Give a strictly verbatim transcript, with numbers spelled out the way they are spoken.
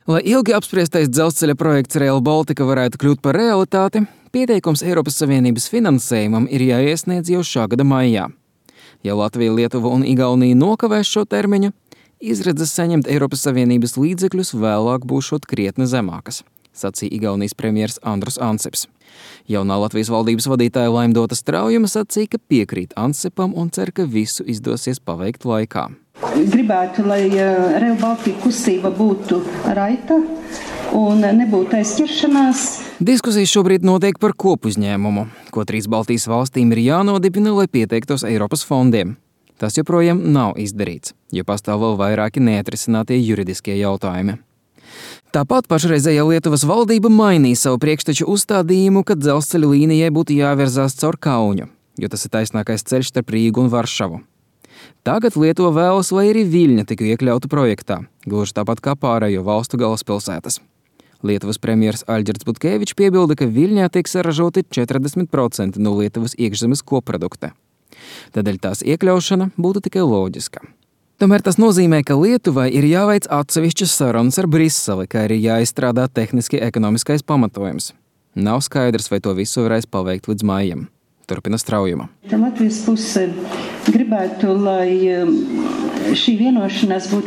Lai ilgi apspriestais dzelzceļa projekts Rail Baltica varētu kļūt par realitāti, pieteikums Eiropas Savienības finansējumam ir jāiesniedz jau šā gada maijā. Ja Latvija, Lietuva un Igaunija nokavēs šo termiņu, izredzes saņemt Eiropas Savienības līdzekļus vēlāk būšot krietni zemākas, sacīja Igaunijas premjers Andrus Ansips. Jaunā Latvijas valdības vadītāja Laimdota Straujuma sacīja, ka piekrīt Ansipam un cer, ka visu izdosies paveikt laikā. Gribētu, lai Rail Baltica kustība būtu raita un nebūtu aizķeršanās. Diskusijas šobrīd notiek par kopuzņēmumu, ko trīs Baltijas valstīm ir jānodibina, lai pieteiktos Eiropas fondiem. Tas joprojām nav izdarīts, jo pastāv vēl vairāki neatrisinātie juridiskie jautājumi. Tāpat pašreizējā Lietuvas valdība mainīja savu priekšteču uzstādījumu, ka dzelzceļa līnijai būtu jāvirzās caur Kaunu, jo tas ir taisnākais ceļš starp Rīgu un Varšavu. Tagad Lietuva vēlas, lai arī Viļņa tika iekļauta projektā, gluži tāpat kā pārējo valstu galvaspilsētas. Lietuvas premjers Aļģerts Butkevičs piebilda, ka Viļņā tiek saražoti četrdesmit procenti no Lietuvas iekšzemes koprodukta. Tādēļ tās iekļaušana būtu tikai loģiska. Tomēr tas nozīmē, ka Lietuvai ir jāveic atsevišķas sarunas ar Briseli, kā arī jāizstrādā tehniski ekonomiskais pamatojums. Nav skaidrs, vai to visu varēs paveikt līdz maijam. Turpina Straujuma. Latvijas puse gribētu, lai šī vienošanās būtu